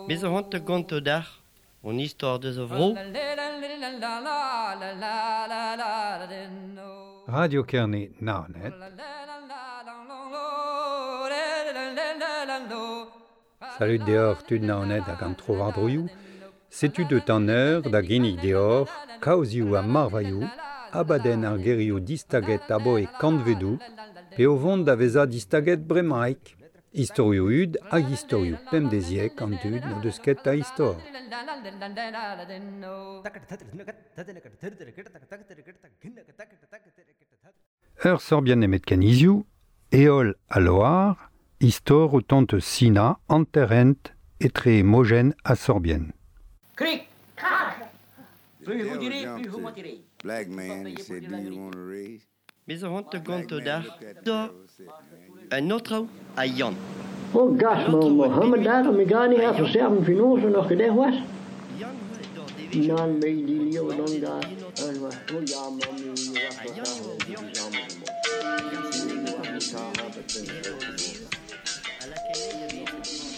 Bez zo c'hoant da gontañ deoc'h hon istor deus a vro. Radio Kerne Naoned. Salut deoc'h tud Naoned hag an tro-war-droioù. Setu deut an eur da ginnig deoc'h kaozioù ha marvailhoù, abadenn ar gerioù distaget aboe kantvedoù, pe o vont da vezañ distaget bremaik. Istorioù hud hag istorioù pemdeziek an dud n'o deus ket a istor. Ur sorbienn nemetken hiziv, Heol ha Loar, istor o tont eus Sina, hanter-hent etre mojenn ha sorbienn. Cric, crac. Plus vous direz, plus vous mentirez. Black man, he said, do you want a raise? Bez zo c'hoant da Black gontañ man deoc'h looked at the da devil and said, man, un aotrou ha Yann. Oh gas, An ma aotrou a Mohammed bep daar, me ga niet ha even Yann. serven finoze nog gedaan was. Yann oa d'ar devezhioù. Nan, me die leeuw An dan devezhioù daar. en aotrou. En was, oh ja, man, nu was Ha dat Yann daar, oa die Yann. samen Yann Nu oa was het daar, Yann. dat ben ik Edo ook. ar devezh a lakae e vez.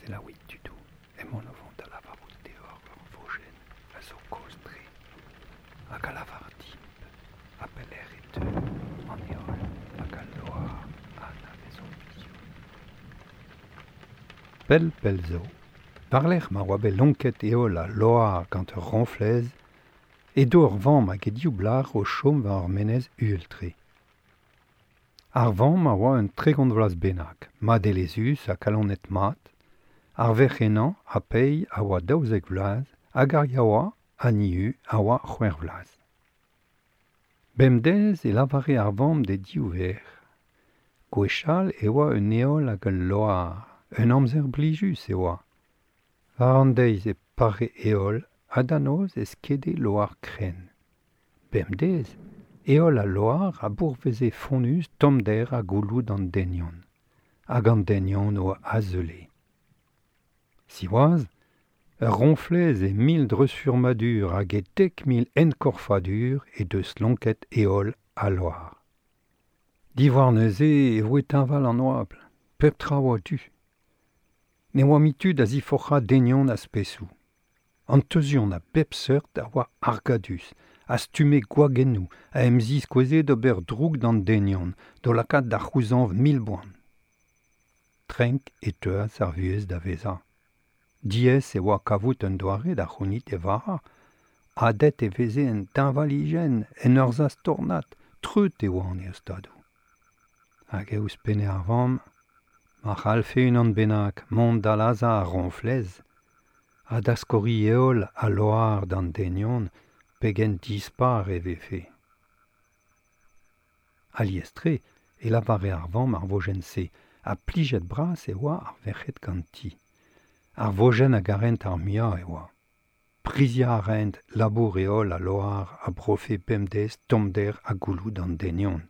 Selaouit tudoù, emaon o vont da lavarout deoc'h ur vojenn a zo kozh-tre hag a lavar dimp ha pelec'h e teu an heol hag al loar a anavezomp hiziv. Pell pell zo, war-lerc'h ma oa bet lonket heol ha loar gant ur roñflez, edo ur vamm hag he div blac'h o chom war ur menez uhel-tre. Ar vamm a oa un 30 vloaz bennak, madelezhus ha kalonet mat, ar verc'h henañ ha pei a oa 12 vloaz hag ar yaouañ ha nihu a oa 6 vloaz. Bemdez e lavare ar vamm d'he div verc'h. Gwechall e oa un heol hag ul loar, un amzer blijus e oa. War an deiz e pare heol ha da noz e skede loar krenn. Bemdez, heol ha loar a bourveze fonnus tommder ha gouloù d'an denion. Hag an denion o azeule. Siwazh, ur roñflez e mil dreuzfurmadur hag e 10 000 enkorfadur e deus lonket heol ha loar. Diwar neuze e voe teñval an oabl, pep tra oa du. Ne oa mui tud a ziforc'hañ denion a spesoù. An teuzion a bep seurt a oa argadus, a stumme gwagennoù, a em ziskoueze d'ober droug d'an denion, d'o lakaat da c'houzañv mil boan. Trenk e teuas ar vuhez da vezañ. Diaes e oa kavout un doare da c'hounit e vara, adet e veze en teñvalijenn, en ur zastornad, treut e oa an eostadoù. Hag e ouzhpenne ar vamm, ma c'hallfe unan bennak mont da lazhañ ar roñflez, ha da skoriñ heol ha loar d'an denion pegen dispar e vefe. Alies-tre e lavare ar vamm ar vojenn-se, ha plijet bras e oa ar verc'hed ganti. Ar vojenn a garent ar muiañ e oa. Priziañ a raent labour heol ha loar a brofe bemdez tommder ha gouloù d'an denion.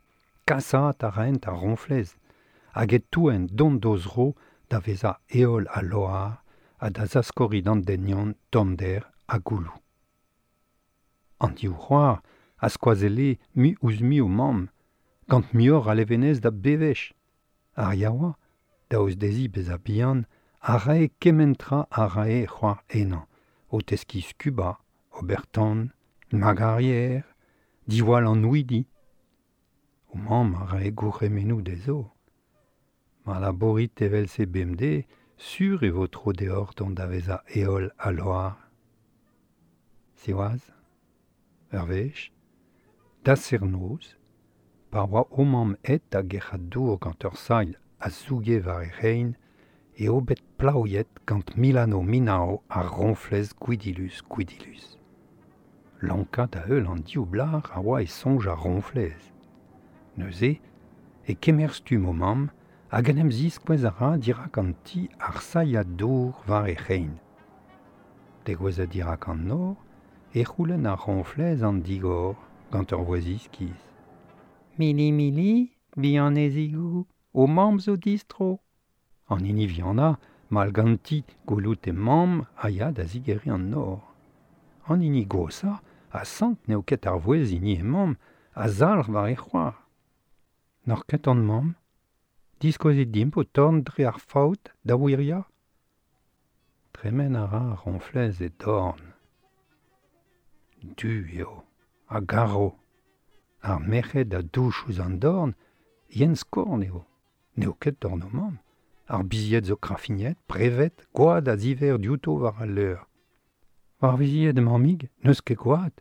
Kasaat a raent ar roñflez, hag e touent dont d'o zro da vezañ heol ha loar ha da zaskoriñ d'an denion tommder ha gouloù. An div c'hoar a skoazelle mui ouzh mui o mamm, gant muioc'h a levenez da bevech. Ar yaouañ, daoust dezhi bezañ bihan, a rae kement tra a rae c'hoar henañ, o teskiñ skubañ, ober tan, magarier, diwall an houidi. O mamm a rae gourc'hemennoù dezho. Ma labourit evel-se bemdez, sur e vo tro deoc'h dont da vezañ heol ha loar. Siwazh, ur wech, da serr-noz, pa oa o mamm aet da gerc'hat dour gant ur sailh a zouge war he c'hein, eo bet plaouiet gant Milano Minao ar roñflez gwidilus gwidilus. Lonkañ da heul an div blac'h a oa e soñj ar roñflez. Neuze, e kemer stumm o mamm hag en em ziskouez a ra dirak an ti ar sailhad dour war he c'hein. Degouezhet dirak an nor, e c'houlenn ar roñflez an digor gant ur vouezh iskis. Mili mili, bihanezigoù, o mamm zo distro. An hini vihanañ, Mal ganti gwelout e mamm a ya da zigeriñ an nor. An hini goshañ a sant n'eo ket ar vouezh hini he mamm a zalc'h war he c'hoar. N'oc'h ket hon mamm? Diskouezit dimp ho torn dre ar faout da wiriañ? Tremen a ra ar roñflez e dorn. Du eo, ha garv. Ar merc'hed a douch ouzh an dorn, yen-skorn eo. N'eo ket dorn o mamm. Ar bizied zo krafignet, brevet, gwad a ziver diouto war al leur. War vizied mammig, n'eus ket gwad.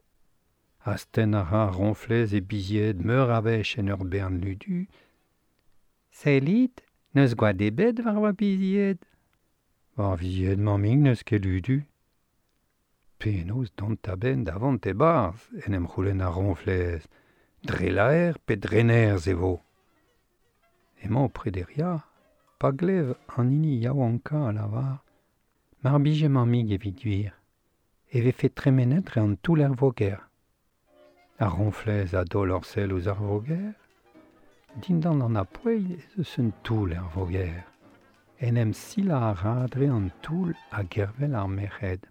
Astenn a ra ar roñflez e bizied meur a wech en ur bern ludu. Sellit, n'eus gwad ebet war va bizied. War vizied mammig n'eus ket ludu. Penaos dont a-benn da vont e-barzh, en em c'houlenn ar roñflez. Dre laer pe dre nerzh e vo. Emañ o prederiañ, pa glev an hini yaouankañ a lavar mar bije mammig evit gwir, e vefe tremenet dre an toull er voger. Ar roñflez a daol ur sell ouzh ar voger. Dindan an apoell ez eus un toull er voger. En em silañ a ra dre an toull ha gervel ar merc'hed.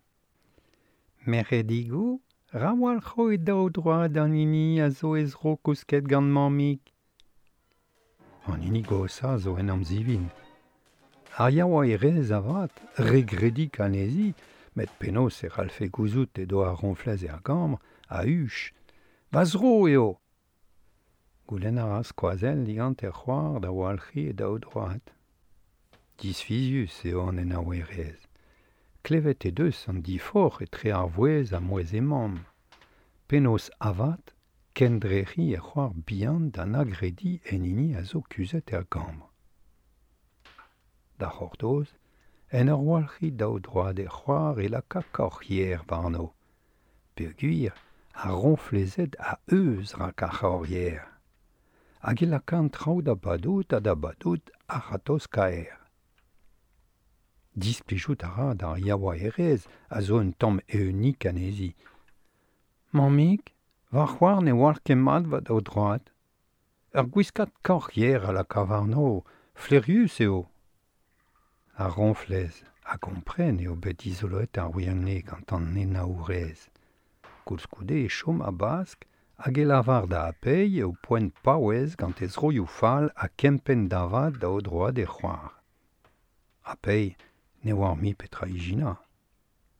Merc'hedigoù, ra walc'ho e daou droad an hini a zo he zro kousket gant mammig. An hini goshañ zo en amzivin. Ar yaouank-erez avat, re gredik anezhi, met penaos e c'hallfe gouzout edo ar roñflez er gambr, a-huch. Va zro eo ! Goulenn a ra skoazell digant he c'hoar da walc'hiñ e daou droad. Disfizius eo an enaouerez. Klevet he deus an diforc'h etre ar vouezh ha mouezh he mamm. Penaos avat kendrec'hiñ he c'hoar bihan da na grediñ en hini a zo kuzhet er gambr. Da c'hortoz, en ur walc'hiñ daou droad he c'hoar e laka kaoc'h-yer warno. Peogwir ar roñflezed a euzh rak ar c'haoc'h-yer. Hag e laka an traoù da badout ha da badout a-ratozh-kaer. Displijout a ra d'ar yaouank-erez a zo un tamm eeunik anezhi. Mammig, va c'hoar ne walc'h ket mat va daou droad. Ur gwiskad kaoc'h-yer a laka warno, flaerius eo. Ar roñflez a gompren eo bet dizoloet ar wirionez gant an henaourez. Koulskoude e chom a-bask hag e lavar da Apeiñ eo poent paouez gant he zroioù fall ha kempenn da vat daou droad he c'hoar. Apeiñ ne oar mui petra ijinañ.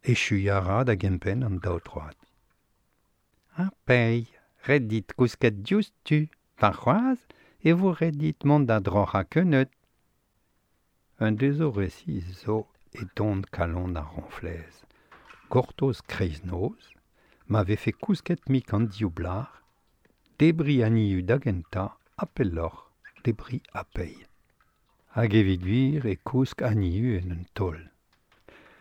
Echuiñ a ra da gempenn an daou droad. Apeiñ, ret dit kousket diouzhtu, warc'hoazh e vo ret dit mont da droc'hañ keuneud. Un dezo resis zo e don kalon ar roñflez. Gortoz kreiznoz, ma vefe kousket-mik an div blac'h, debriñ anezho da gentañ ha pelloc'h debriñ Apeiñ. Hag evit gwir e kousk anezho en un taol.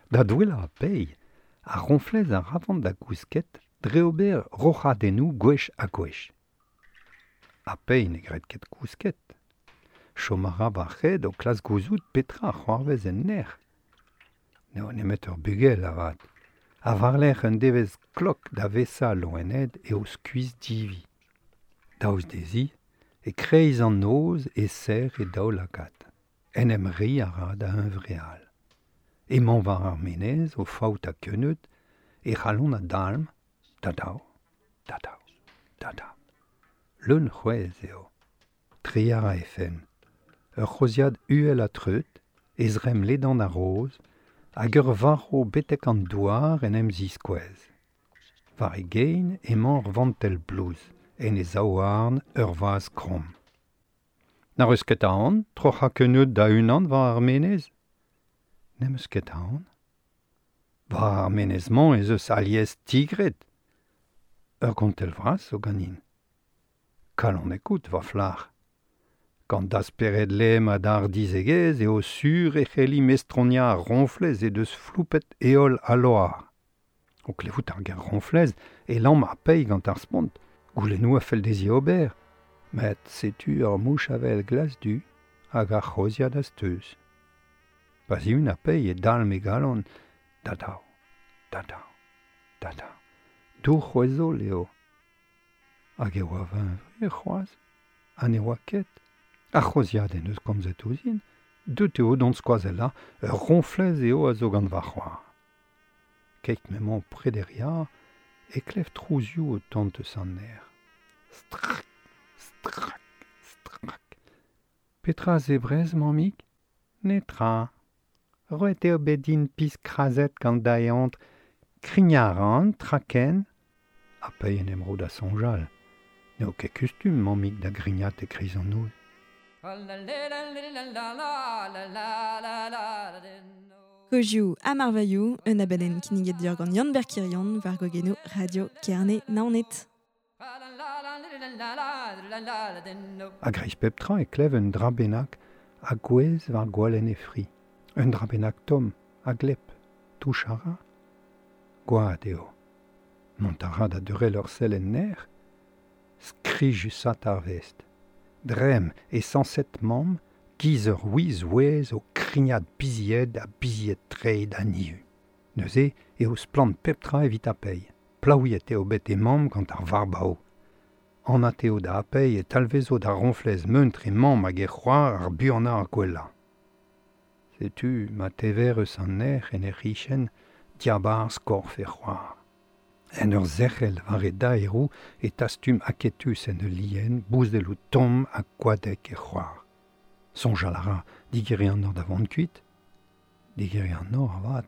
Da douellañ Apeiñ, ar roñflez a ra da gousket dre ober roc'hadennoù gwech ha gwech. Apeiñ ne gred ket kousket. Chom a ra war-c'hed o klask gouzout petra a c'hoarvez en nec'h. N'eo nemet ur bugel avat. Ha war-lerc'h un devezh klok da vesa loened eo skuizh-divi. Daoust dezhi, e-kreiz an noz e serr e daoulagad. En em reiñ a ra da huñvreal. Emañ war ar menez o faoutañ keuneud, e c'halon a dalm, da-daou, da-daou, da-daou. Leun c'hwezh eo. Treiñ a ra he fenn. Ur c'hozhiad uhel ha treut, e zremm ledan ha roz, hag ur varv betek an douar en em ziskouez. War e gein emañ ur vantell blouz, en e zaouarn ur vazh kromm. N'ac'h eus ket aon troc'hañ keuneud da-unan war ar menez ? N'em eus ket aon. War ar menez-mañ ez eus alies tigred. Ur gontell vras zo ganin. Kalonek out, va flac'h. Gant da spered lemm ha da hardizhegezh eo sur e c'helli mestroniañ ar roñflez he deus floupet heol ha loar. O klevout ar ger roñflez e lamm ar peiñ gant ar spont. Goulennoù a fell dezhi ober. Met setu ur mouch avel glas-du hag ar c'hozhiad a-steuz. Pa zihun ar peiñ e dalm e galon da-daou, da-daou, da-daou. Dour c'hwezhol eo. Hag e oa va hunvre c'hoazh ha ne oa ket. Ar c'hozhiad en deus komzet ouzhin. Deut eo d'hon skoazella, ur ronflez eo a zo gant va c'hoar. Keit m'emañ prederia, e klev trouzioù o tont eus an aer. Strak, strak, strak. Petra zebrez, mammig? Netra. Roet eo bet din piz krazet gant da eontr, krignaran, traken. Ha pei en em ro da soñjal. N'eo ket kustum, mammig, da grignat e kreiz an noz. Kozioù ha marvailhoù, un abadenn kinniget deoc'h gant Yann Berkirion war gogenoù Radio Kerne Naoned. A-greiz pep tra e klev un dra bennak a gouez war gwalenn e fri. Un dra bennak tomm, a glep, touch a ra. Gwad eo. Mont a ra da deurel ur sell en nec'h, skrijusat ar vest. Dremm e sañset mamm, giz ur wiz ouez o krignat bizied ha bizied treid ha niu. Neuze eo splann pep tra evit a-pei. Plaouiet eo bet e mamm gant ar varbao. Anat eo da a-pei e talvezo da ronflez meuntr e mamm hag e c'hoar ar buanañ ar gwellañ. Setu ma tever eus an nec'h en e c'hichen diabarzh korf e c'hoar. En ur zerc'hel war e daeroù e tastum aketus en ul lien bouzelloù tomm ha koadek e c'hoar. Soñjal a ra digeriñ an nor da vont kuit. Digeriñ an nor avat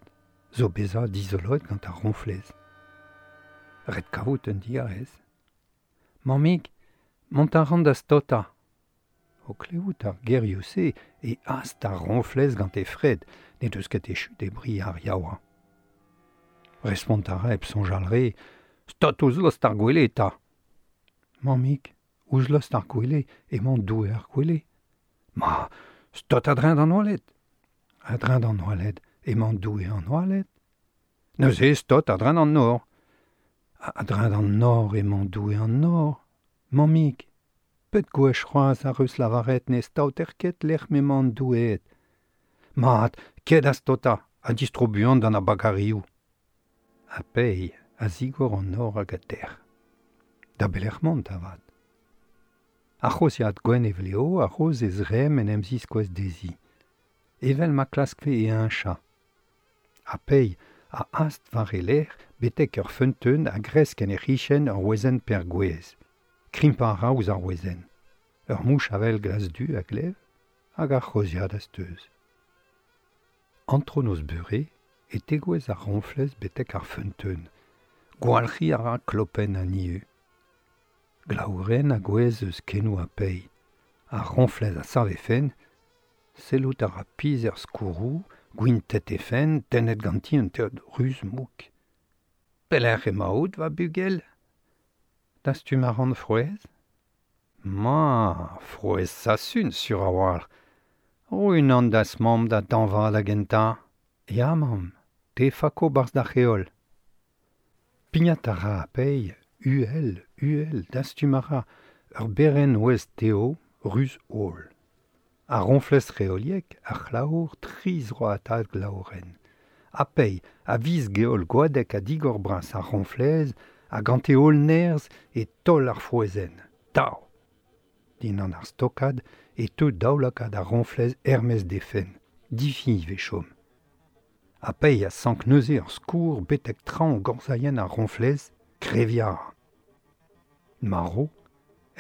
zo bezañ dizoloet gant ar ronflez. Ret kavout un digarez. Mammig, mont a ran da staotañ. O klevout ar gerioù-se e ast ar ronflez gant he fred, n'he deus ket echu debriñ ar yaouañ. Respont a ra hep soñjal re, stot ouzh lost ar gwele eta. Mammig, ouzh lost ar gwele emañ Doue ar gwele. Ma, stot a-dreñv d'an oaled. A-dreñv d'an oaled emañ Doue an oaled. Neuze stot a-dreñv d'an nor. A-dreñv d'an nor emañ Doue an nor. Mammig, pet gwech c'hoazh ar eus lavaret ne staoter ket lec'h m'emañ an doueed. Mat, ket da staotañ ha distro buan d'an abagarioù. Ha pei a zigor an nor hag a dec'h. Da belec'h mont avat. Ar c'hozhiad gwenn e vleo a roz e zremm en em ziskouez dezhi. Evel ma klaskfe e heñchañ. Ha pei a ast war e lerc'h betek ur feunteun a gresk en he c'hichen ur wezenn pergouez. Krimpañ a ra ouzh ar wezenn. Ur mouch avel glas-du a glev hag ar c'hozhiad a steuz. Antronoz beure e tegouezh ar roñflez betek ar feunteun. Gwalc'hiñ a ra klopenn an nieu. Glaourenn a gouezh eus kenoù ha pei. Ar roñflez a sav he fenn, sellout a ra pizh er skourroù, gwintet he fenn, tennet ganti un teod ruz-mouk. Pelec'h emaout, va bugel? Dastum a ran frouezh? Ma, frouezh sasun, sur a-walc'h. Ro unan da'z mamm da dañva da gentañ. Ya, mamm, te fako 'barzh da c'heol. Pignat a ra a-pei, uhel, uhel, dastum a ra ur berenn ouez teo, ruz-holl. Ar roñflez reoliek a c'hlaour tri zroatad glaourenn. A-pei, a viz geol gwadek ha digor bras ar roñflez ha gant e holl nerzh e taol ar frouezhenn. Tav! Dindan ar stokad e teu daoulagad ar roñflez er-maez d'he fenn. Difiñv e chom. Ha pei a sank neuze ur skourr betek traoñ gorzailhenn ar roñflez, kreviñ a ra. Marv,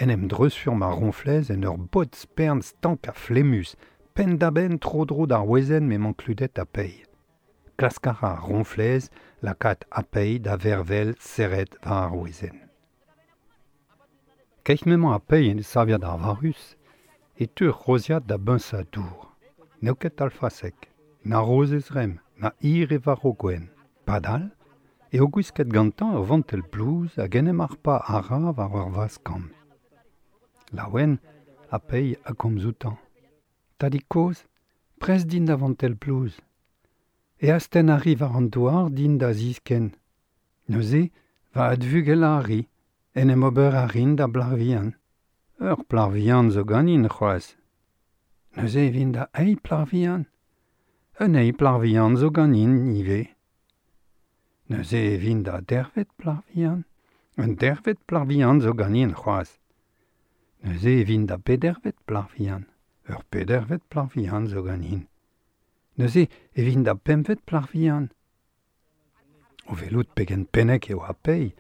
en em dreuzfurm ar roñflez en ur bod spern stank ha flemmus, penn-da-benn tro-dro d'ar wezenn m'emañ kludet a-pei. Klask a ra ar roñflez lakaat a-pei da vervel serret war ar wezenn. Keit m'emañ a-pei en e saviad arvarus e teu ur c'hozhiad da beñsañ dour. N'eo ket alfasek, na roz e zremm, na hir e varv gwenn. Padal eo gwisket gantañ ur vantell blouz hag en em harpañ a ra war ur vazh-kamm. Laouen, a-pei a gomz outañ. Tadig-kozh, prest din da vantell blouz. E astenn a ri war an douar din da ziskenn. Neuze, va advugelañ a ri, en em ober a rin da blac'h vihan. Ur plac'h vihan zo ganin c'hoazh. Neuze e vin da eil plac'h vihan. Un eil plac'h vihan zo ganin ivez. Neuze e vin da dervet plac'h vihan. Un dervet plac'h vihan zo ganin c'hoazh. Neuze e vin da bedervet plac'h vihan. Ur pedervet plac'h vihan zo ganin. Neuze e vin da pempvet plac'h vihan. O velout pegen pennek eo ar pei,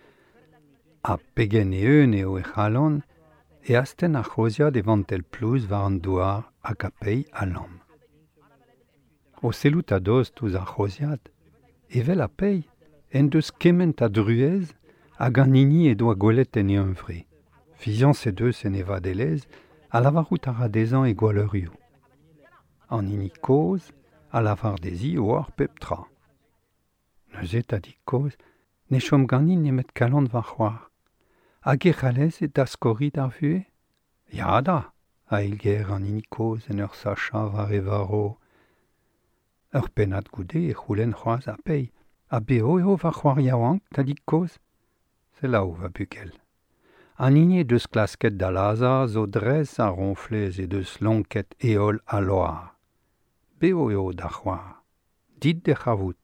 ha pegen eeun eo e c'halon, e astenn ar c'hoziad e vantel plouz war an douar hag a pei a lamm. O sellout a-dost ouzh ar c'hoziad, evel a pei, en deus kement a druez hag an hini e doa gwelet en e hunvre. Fiziañs he deus en e vadelezh a lavarout a ra dezhañ e gwalleurioù. An hini kozh a lavar dezhi oar pep tra. Neuze tadig kozh ne chom ganin nemet kalon va c'hoar. Hag e c'hallez e daskoriñ d'ar vuhez ? Ya da, a eilger an hini kozh en ur sachañ war e varv. Ur pennad goude e c'houlenn c'hoazh ar pei. Ha bev eo va c'hoar yaouank, tadig kozh ? Selaou va bugel. An hini he deus klasket da lazhañ zo dres ar roñflez he deus lonket heol ha loar. Bev eo da c'hoar. Dit d'he c'havout.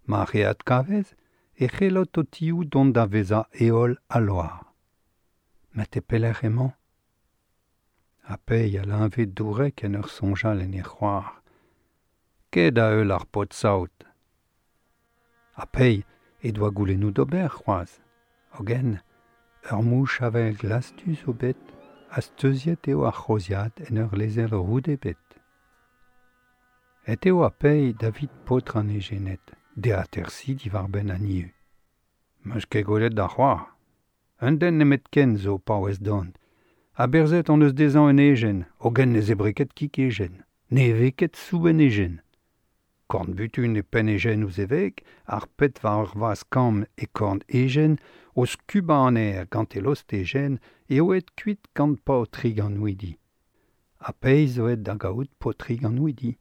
Ma he adkavez e c'hellot ho tioù dont da vezañ heol ha loar. Met e pelec'h emañ ? Ha pei a leñve dourek en ur soñjal en he c'hoar. Ket da heul ar paotr-saout. Ha pei he doa goulennoù d'ober c'hoazh. Hogen, ur mouch avel glas-du zo bet ha steuziet eo ar c'hoziad en ur lezel roud ebet. Et eo ar pei davit paotr an ejened, d'e atersiñ diwar-benn an ieu. 'Meus ket gwelet da c'hoar. Un den nemetken zo paouez dont. Aberzhet hon eus dezhañ un ejen, hogen ne zebre ket kig ejen. Ne eve ket soubenn ejen. Korn-butun e penn ejen ouzh e veg, ar pet war ur vazh kamm e korn ejen, o skubañ an aer gant e lost ejen, eo aet kuit gant paotrig an houidi. Ha pezh zo aet da gaout paotrig an houidi.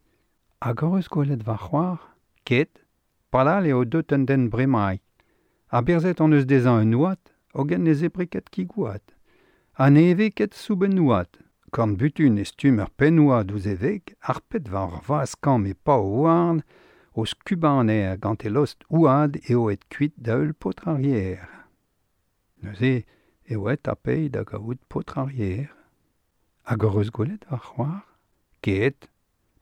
Hag hoc'h eus gwelet va c'hoar ? Ket, padal eo deut un den bremaik. Aberzhet hon eus dezhañ un houad, hogen ne zebre ket kig houad. Ha ne eve ket soubenn houad. Korn-butun e stumm ur penn-houad ouzh e veg, harpet war ur vazh-kamm e pav houarn, o skubañ an aer gant e lost houad eo aet kuit da heul paotr ar yer. Neuze eo aet ar pei da gaout paotr ar yer. Hag hoc'h eus gwelet va c'hoar ? Ket,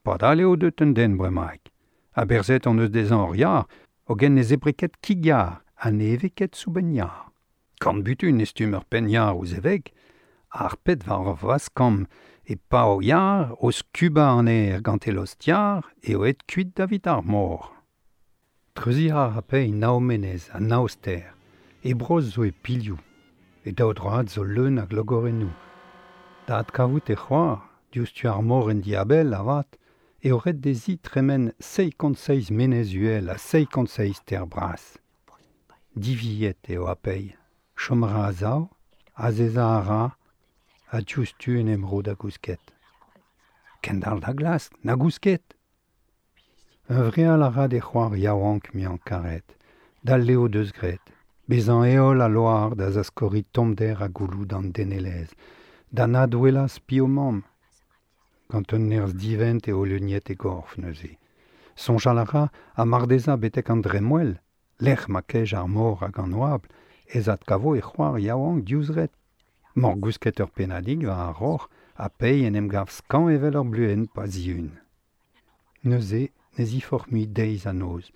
padal eo deut un den bremaik. Aberzhet hon eus dezhañ ur yar, hogen ne zebre ket kig yar ha ne eve ket soubenn yar. Korn-butun e stumm ur penn-yar ouzh e veg, harpet war ur vazh-kamm e pav yar o skubañ an aer gant e lost yar eo aet kuit davit ar mor. Treuziñ a ra pei nav menez ha nav stêr. E brozh zo e pilhoù. E daou droad zo leun a glogorennoù. Da adkavout e c'hoar, diouzh tu ar mor en diabell avat, eo ret dezhi tremen seizh menez uhel ha seizh stêr bras. Diviet eo ar pei. Chom a ra a-sav, azezañ a ra, ha diouzhtu en em ro da gousket. Kendalc'h da glask, na gousket ! Huñvreal a ra d'e c'hoar yaouank muiañ-karet, d'al leo deus graet, bezañ heol ha loar da zaskoriñ tommder ha gouloù d'an denelezh, da nadouellañ spi o mamm. Gant un nerzh divent eo leuniet e gorf neuze. Soñjal a ra ha mar dezhañ betek an dremmwel, lec'h ma kej ar mor hag an oabl, ez adkavo e c'hoar yaouank diouzh ret. Morgousket ur pennadig war ar roc'h ha pei en em gav skañv evel ur bluenn pa zihun. Neuze ne ziforc'h mui deiz ha noz.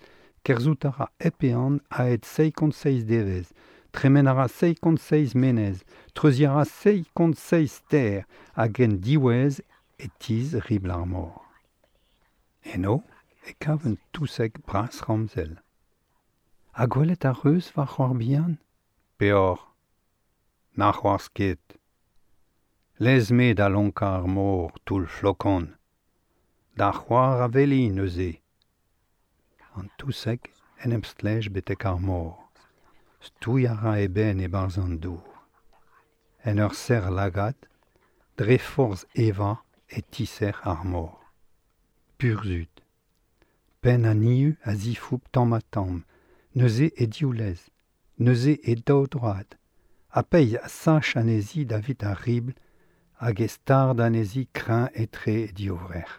Kerzhout a ra hep ehan a-hed seizh devezh, tremen a ra seizh menez, treuziñ a ra seizh stêr hag en diwezh e tizh ribl ar mor. Eno e kav un touseg bras ramzel. Ha gwelet ar reuz va c'hoar bihan ? Peoc'h. Na c'hoarzh ket. Lez-me da lonkañ ar mor, toull flokon. Da c'hoar a weli neuze. An touseg en em stlej betek ar mor. Stouiñ a ra e benn e-barzh an dour. En ur serr-lagad, dre forzh evañ e tiserc'h ar mor. Burzhud. Penn an iu a zifoup tamm-ha-tamm, neuze e div lez, neuze e daou droad. Ha pei a sach anezhi davit ar ribl hag e stard anezhi kreñv etre e divrec'h.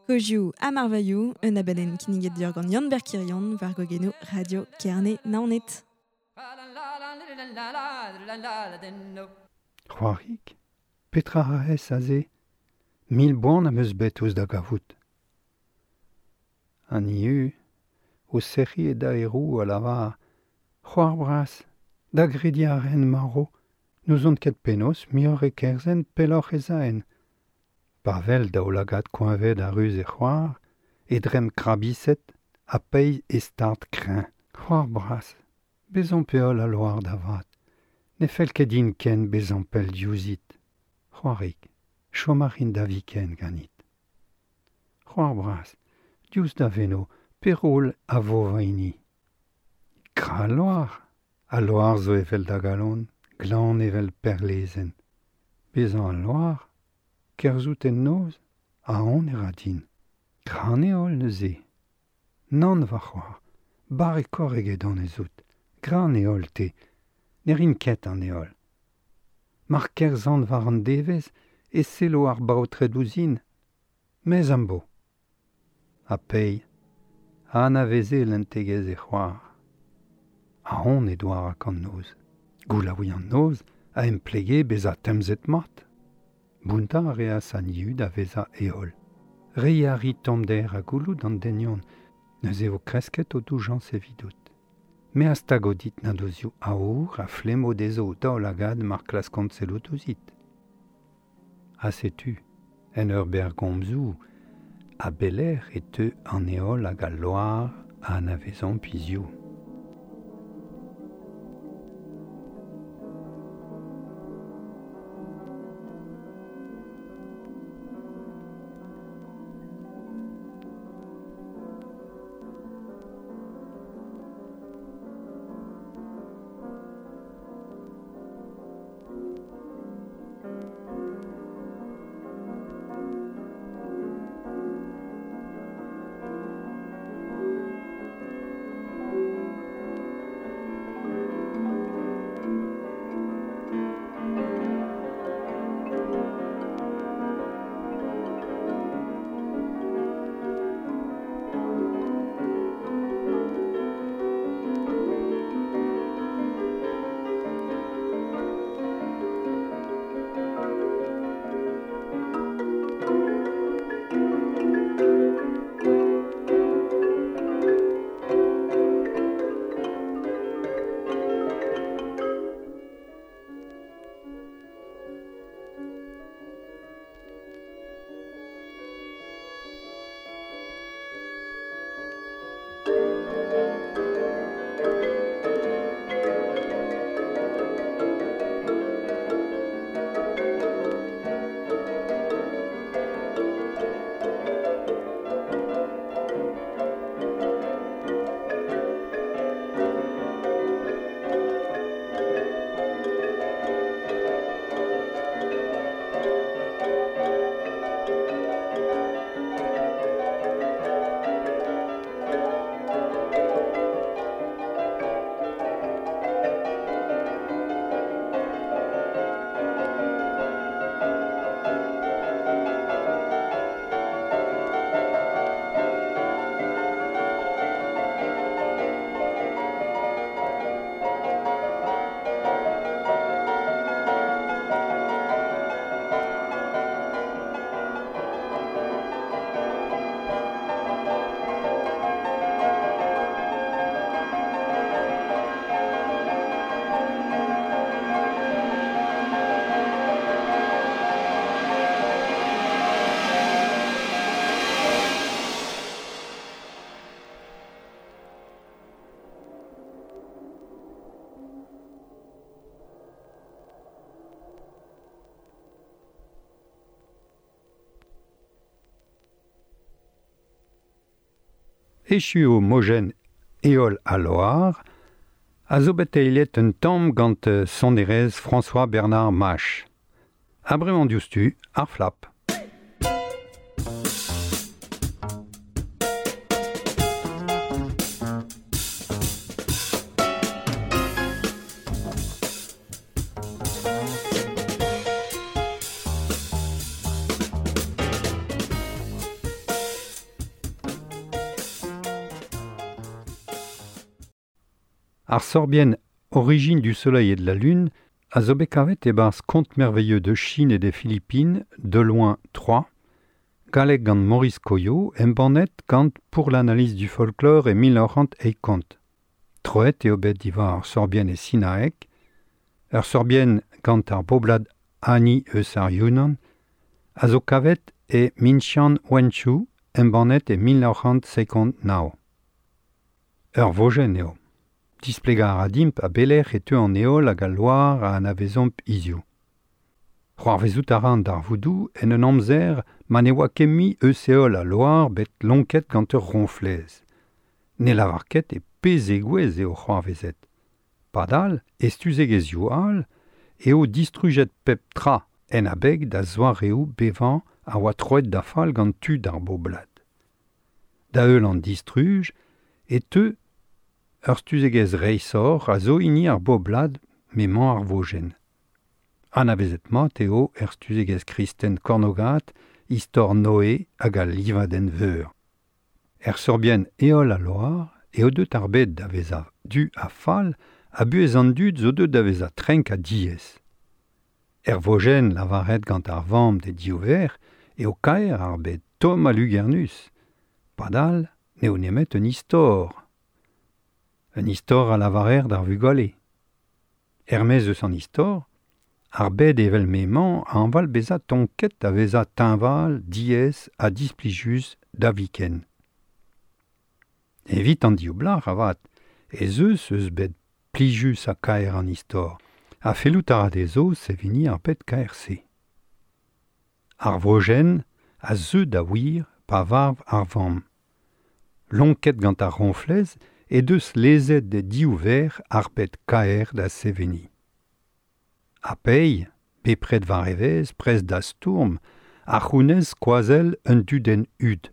Kozioù ha marvailhoù, un abadenn kinniget deoc'h gant Yann-Ber Kirion war gogennoù Radio Kerne Naoned. C'hoarig, petra a aze, mil boan am eus bet ouzh da gavout. An ieu, o serri e da erou a lavar, c'hoar bras, da gredi a ren maro, n'ouzon ket penaos muioc'h e kerzen pelloc'h ez aen. Pa vel daoulagad koeñvet a ruz e c'hoar, e dremm krabiset, ha peiz e start kreñv. C'hoar bras, bezañ peol a loar da vat, ne fell ket din ken bezañ pell diouzhit. C'hoarig, chom a rin da viken ganit. C'hoar bras, diouzh da veno, perol a vo va hini. Gra loar, a loar zo evel da galon, glan evel perlezenn. Bezañ al loar, kerzhout en noz, a on e ra din. Gra an heol neuze. Nann va c'hoar, barrekoc'h eget an ez out. Gra an heol te, ne rin ket an heol. Mar kerzhan war an devezh e sello ar baotred ouzhin. Mez am bo. Ha pei, a anaveze lentegezh e c'hoar. A on e doar ak an noz. Goulaouiñ an noz a emplege bezañ temzet mat. Bountañ a reas an ieu da vezañ heol. Reiñ a ri tommder ha gouloù d'an denion, neuze vo kresket o doujañs evidout. Me a stago dit nadozioù aour a flemmo dezho o daoulagad mar klaskont sellout ouzhit. Ha setu, en ur bergomzoù, a belec'h e teu an heol hag al loar a anavezomp hiziv. Echu o mojenn Heol ha Loar, a zo bet eilet un tamm gant sonerezh François Bernard Mach. Ha bremañ diouzhtu, ar flap. Ar sorbienn Origine du soleil et de la lune A zo bet kavet e-barzh Contes merveilleux de Chine et des Philippines, de loin 3, galleg gant Maurice Coyot, embannet gant Pour l'analyse du folklore e 1980. Troet eo bet diwar ar sorbienn e sinaeg, ur sorbienn gant ar boblad Hani eus ar Yunnan, a zo kavet e Minxian Wenchu, embannet e 1959. Ur vojenn eo. Displegañ a ra dimp a belec'h e teu an heol hag al loar a anavezomp hiziv. C'hoarvezout a ra an darvoudoù en un amzer ma ne oa ket mui eus heol ha loar bet lonket gant ur roñflez. Ne lavar ket e pe zegouezh eo c'hoarvezet. Padal, e stuzegezhioù all, eo distrujet pep tra en abeg da zoareoù bevañ a oa troet da fall gant tud ar boblad. Da heul an distruj e teu ur stuzegezh reishoc'h a zo hini ar boblad m'emañ ar vojenn. Anavezet mat eo er stuzegezh kristen kornogat istor Noe hag al livadenn veur. Er sorbienn Heol ha Loar eo deut ar bed da vezañ du ha fall ha buhez an dud zo deut da vezañ trenk ha diaes. Er vojenn lavaret gant ar vamm d'he div verc'h eo kaer ar bed tomm ha lugernus. Padal n'eo nemet un istor. Un istor a lavarer d'ar vugale. Er-maez eus an istor, ar bed evel m'emañ a hañval bezañ tonket da vezañ teñval, diaes ha displijus da viken. Evit an div blac'h avat ez eus eus bed plijus ha kaer an istor, ha fellout a ra dezho seveniñ ar bed kaer-se. Ar vojenn a zeu da wir pa varv ar vamm. Lonket gant ar roñflez he deus lezet d'he div verc'h ar bed kaer da seveniñ. Ha Pei, bepred war e vez, prest da stourm, a c'hounez skoazell un dudenn hud,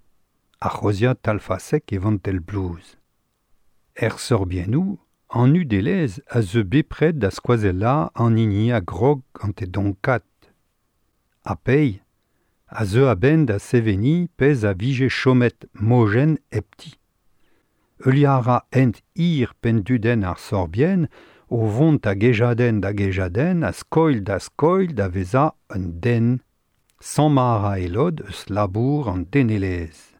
ar c'hozhiad talfasek e vantell blouz. Er sorbiennoù, an hudelezh a zeu bepred da skoazellañ an hini a grog gant e donkad. Ha Pei a zeu a-benn da seveniñ pezh a vije chomet mojenn hepti. Heuliañ a ra hent hir penndudenn ar sorbienn o vont a gejadenn da gejadenn, a skoilh da skoilh da vezañ un den. Sammañ a ra e lod eus labour an denelezh.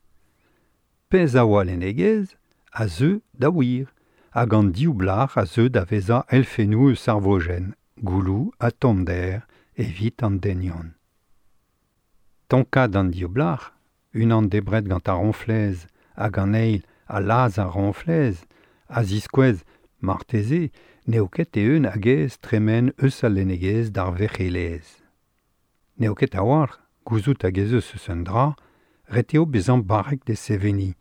Pezh a oa lennegezh a zeu da wir, hag an div blac'h a zeu da vezañ elfennoù eus ar vojenn, gouloù ha tommder evit an denion. Tonkad an div blac'h, unan debret gant ar roñflez hag an eil a lazh ar roñflez, a ziskouez marteze n'eo ket eeun hag aes tremen eus al lennegezh d'ar werc'helezh. N'eo ket a-walc'h gouzout hag ez eus eus un dra, ret eo bezañ barrek d'e seveniñ.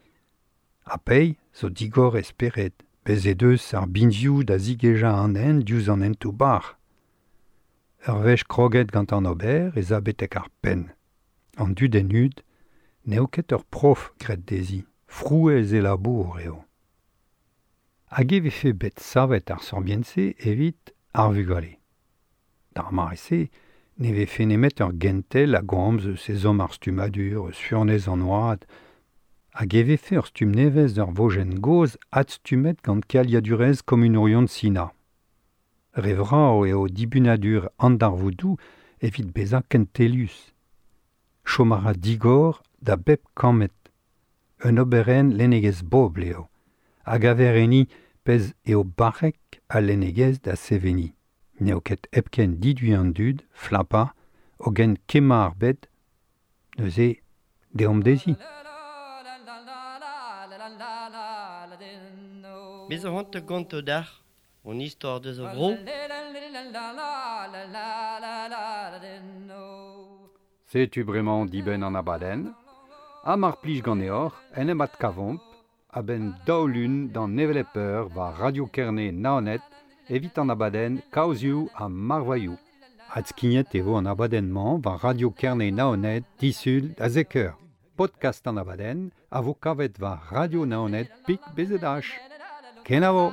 Ha Pei zo digor e spered, bez' he deus ar binvioù da zigejañ an hent diouzh an hentoù-bac'h. Ur wech kroget gant an ober ez a betek ar penn. An dudenn hud n'eo ket ur prof graet dezhi, frouezh e labour eo. Hag e vefe bet savet ar sorbienn-se evit ar vugale. D'ar mare-se ne vefe nemet ur gentel a gomz eus ezhomm ar stummadur, eus furnez an oad, hag e vefe ur stumm nevez d'ur vojenn gozh adstummet gant kealiadurezh komunourion Sina. Re vrav eo dibunadur an darvoudoù evit bezañ kentelius. Chom a ra digor da bep kammed. Un oberenn lennegezh bobl eo, a gaver enni pezh eo barrek al lennegezh da seveniñ. N'eo ket hepken diduiñ an dud, flapañ, hogen kemmañ ar bed, neuze deomp dezhi. Me zo c'hoant da gontañ deoc'h hon istor deus ar vro. Setu bremañ dibenn an abadenn. Ha mar plij ganeoc'h en em adkavomp a-benn daou lun d'an hevelep eur war Radio Kerne Naoned evit an abadenn Kaozioù ha Marvailhoù. Adskignet e vo an abadenn-mañ war Radio Kerne Naoned disul da zek eur. Podcast an abadenn a vo kavet war Radio Naoned pik BZH. Kenavo!